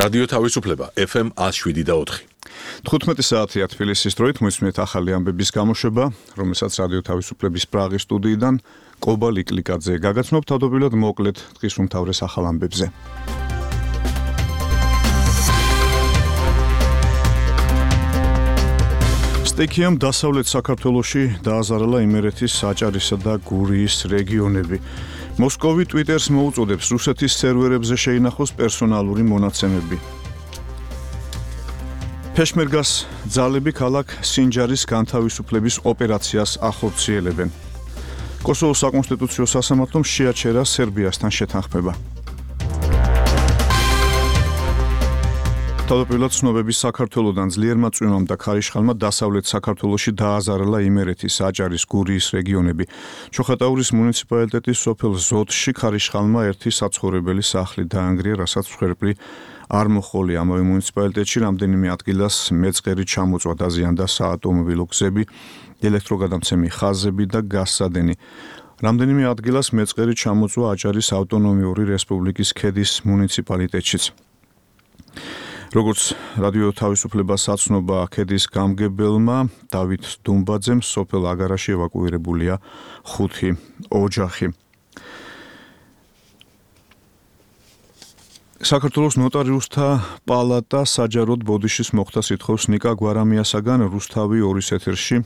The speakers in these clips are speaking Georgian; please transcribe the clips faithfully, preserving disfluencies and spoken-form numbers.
რადიო თავისუფლება ეფ ემ one oh seven და four. თხუთმეტი საათია თბილისის დროით მოისმენთ ახალი ამბების გამოშვება, რომელსაც რადიო თავისუფლების პრაღის სტუდიიდან კობა ლიკლიკაძე გაგაცნობ თავდაპირველად მოკლედ დღის უმთავრეს ახალ ამბებზე. სტიქიამ დასავლეთ საქართველოში დააზარალა იმერეთის საჭარისა და გურიის რეგიონები. მოსკოვი ტვიტერს მოუწოდებს რუსეთის სერვერებზე შეინახოს პერსონალური მონაცემები. ფეშმერგას ძალები ქალაქ სინჯარის განთავისუფლების ოპერაციას ახორციელებენ. კოსოვოს საკონსტიტუციო სასამართლომ შეაჩერა სერბიასთან შეთანხმება. თავდაპირველად ცნობების საქართველოდან ძლიერმა წვიმამ და ქარიშხალმა დასავლეთ საქართველოში დააზარალა იმერეთის საჭარის გურიის რეგიონები. ჩოხატაურის მუნიციპალიტეტის სოფელ ზოთში ქარიშხალმა ერთი საცხოვრებელი სახლი დაანგრია, რასაც მსხვერპლი არ მოჰყოლია. ამავე მუნიციპალიტეტში რამდენიმე ადგილას მეწყერი ჩამოწვა, დაზიანდა საავტომობილო გზები, ელექტროგადამცემი ხაზები და გაზსადენი. რამდენიმე ადგილას მეწყერი ჩამოწვა აჭარის ავტონომიური რესპუბლიკის ქედის მუნიციპალიტეტშიც. როგორც რადიო თავისუფლებას აცნობა ქედის გამგებელმა დავით დუმბაძემ, სოფელ აგარაში ევაკუირებულია ხუთი ოჯახი. საქართველოს ნოტარიუსთა პალატა საჯაროდ ბოდიშის მოხდას ითხოვს ნიკა გვარამიასაგან რუსთავი ორის ეთერში.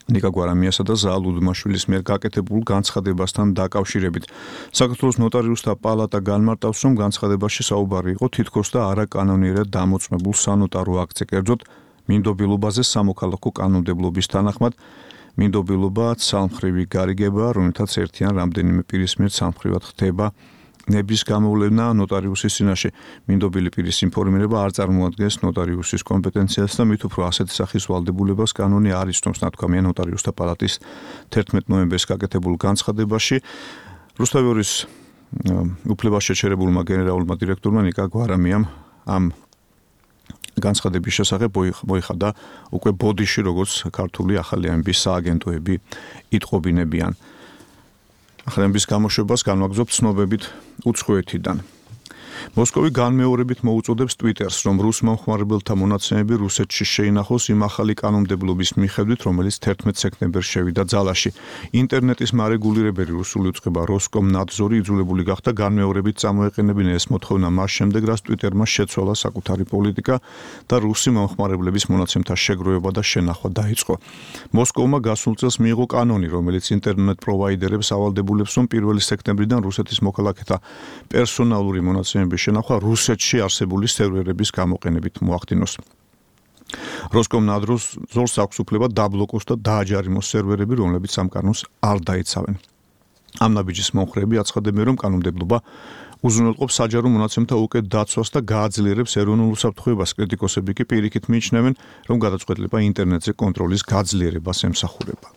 ნიკა გვარამიასა და ზაალ უდმაშვილის მიერ გაკეთებულ განცხადებასთან დაკავშირებით. საქართველოს ნოტარიუსთა პალატა განმარტავს, რომ განცხადებაში საუბარი იყო თითქოს და არაკანონიერად დამოწმებულ სანოტარო აქტზე, კერძოდ მინდობილობაზე სამოქალაქო კანონმდებლობის თანახმად. მინდობილობა ცალმხრივი გარიგება, რომელთაც ერთიან რამდენიმე პირის მიერ ცალმხრივად ხდება ნების გამოვლენა ნოტარიუსის წინაშე. მინდობილი პირის ინფორმირება არ წარმოადგენს ნოტარიუსის კომპეტენციას და მით უფრო ასეთი სახის ვალდებულებას კანონი არ იცნობს, ნათქვამია ნოტარიუსთა პალატის თერთმეტი ნოემბერს გაკეთებულ განცხადებაში. რუსთავი ორის უფლებას შეჩერებულმა გენერალურმა დირექტორმა ნიკა გვარამიამ ამ განცხადების შესახებ მოიხადა უკვე ბოდიში, როგორც ქართული ახალი ამბის სააგენტოები იტყობინებიან. ახალი ამბის გამოშვებას განვაგრძობ ცნობებით უცხოეთიდან. მოსკოვი განმეორებით მოუწოდებს ტვიტერს, რომ რუს მომხმარებელთა მონაცემები რუსეთში შეინახოს იმ ახალი კანონმდებლობის მიხედვით, რომელიც თერთმეტი სექტემბერს შევიდა ძალაში. ინტერნეტის მარეგულირებელი რუსული უწყება როსკომნადზორი იძულებული გახდა განმეორებით წამოეყენებინა ეს მოთხოვნა მას შემდეგ, რაც ტვიტერმა შეცვალა საკუთარი პოლიტიკა და რუსი მომხმარებლების მონაცემთა შეგროვება და შენახვა დაიწყო. მოსკოვმა გასულ წელს მიიღო კანონი, რომელიც ინტერნეტ პროვაიდერებს ავალდებულებს, რომ პირველი სექტემბრიდან რუსეთის მოქალაქეთა პერსონალური მონაცემები შენახვა რუსეთში არსებული სერვერების გამოყენებით მოახდინოს. როსკომნადზორს აქვს უფლება დაბლოკოს და დააჯარიმოს სერვერები, რომლებიც ამ კანონს არ დაიცავენ. ამ ნაბიჯის მომხრეები აცხადებენ, რომ კანონმდებლობა უზრუნველყოფს საჯარო მონაცემთა უკეთ დაცვას და გააძლიერებს ეროვნულ უსაფრთხოებას. კრიტიკოსები კი პირიქით მიიჩნევენ, რომ გადაწყვეტილება ინტერნეტზე კონტროლის გაძლიერებას ემსახურება.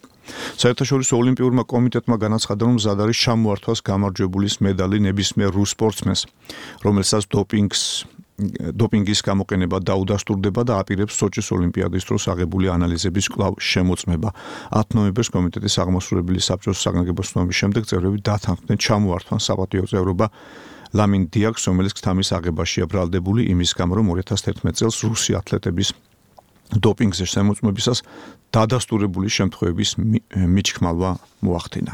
საერთაშორისო ოლიმპიურმა კომიტეტმა განაცხადა, რომ მზად არის ჩამოართვას გამარჯვებულის მედალი ნებისმიერ რუს სპორტსმენს, რომელსაც დოპინგს დოპინგის გამოყენება დაუდასტურდება და აპირებს სოჭის ოლიმპიადის დროს აღებული ანალიზების კვლავ შემოწმება. ათი ნოემბერს კომიტეტის აღმასრულებელი საბჭოს საგანგებო ცნობის შემდეგ წევრები დათანხმდნენ ჩამოართვან საპატიო წევრობა ლამინ დიაკს, რომელიც ქთამის აღებაშია ბრალდებული იმის გამო, რომ ორი ათას თერთმეტი წელს რუსი ათლეტების დოპინგზე შემოწმებისას დადასტურებული შემთხვევების მიჩქმალვა მოახდინა.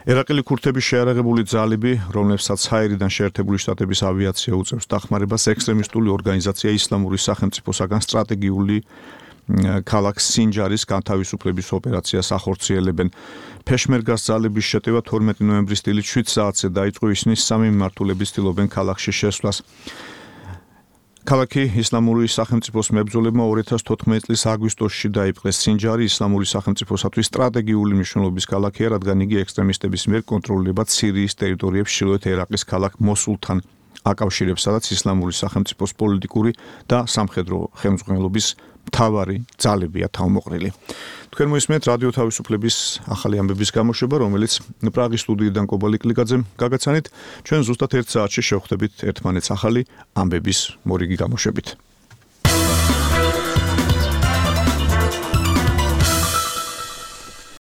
ერაყელი ქურთების შეარაღებული ძალები, რომლებსაც ჰაერიდან შეერთებული შტატების ავიაცია უწევს დახმარებას, ექსტრემისტული ორგანიზაცია ისლამური სახელმწიფოსაგან სტრატეგიული ქალაქ სინჯარის განთავისუფლების ოპერაციას ახორციელებენ. ფეშმერგას ძალების შეტევა თორმეტი ნოემბრის დილით შვიდ საათზე დაიწყო, ისინი სამი მიმართულებით ცდილობენ ქალაქში შესვლას. ქალაქი ისლამური სახელმწიფოს მებრძოლებმა ორი ათას თოთხმეტი წლის აგვისტოში დაიპყრეს. სინჯარი ისლამური სახელმწიფოსათვის სტრატეგიული მნიშვნელობის ქალაქია, რადგან იგი ექსტრემისტების მიერ კონტროლირება სირიის ტერიტორიებს ჩრდილოეთ ერაყის ქალაქ მოსულთან აკავშირებს, სადაც ისლამური სახელმწიფოს პოლიტიკური და სამხედრო ხელმძღვანელობის მთავარი ძალებია თავმოყრილი. თქვენ მოისმენთ რადიო თავისუფლების ახალი ამბების გამოშვება, რომელიც პრაღის სტუდიიდან კობა ლიკლიკაძემ გაგაცანით. ჩვენ ზუსტად ერთ საათში შევხვდებით ერთმანეთს ახალი ამბების მორიგი გამოშვებით.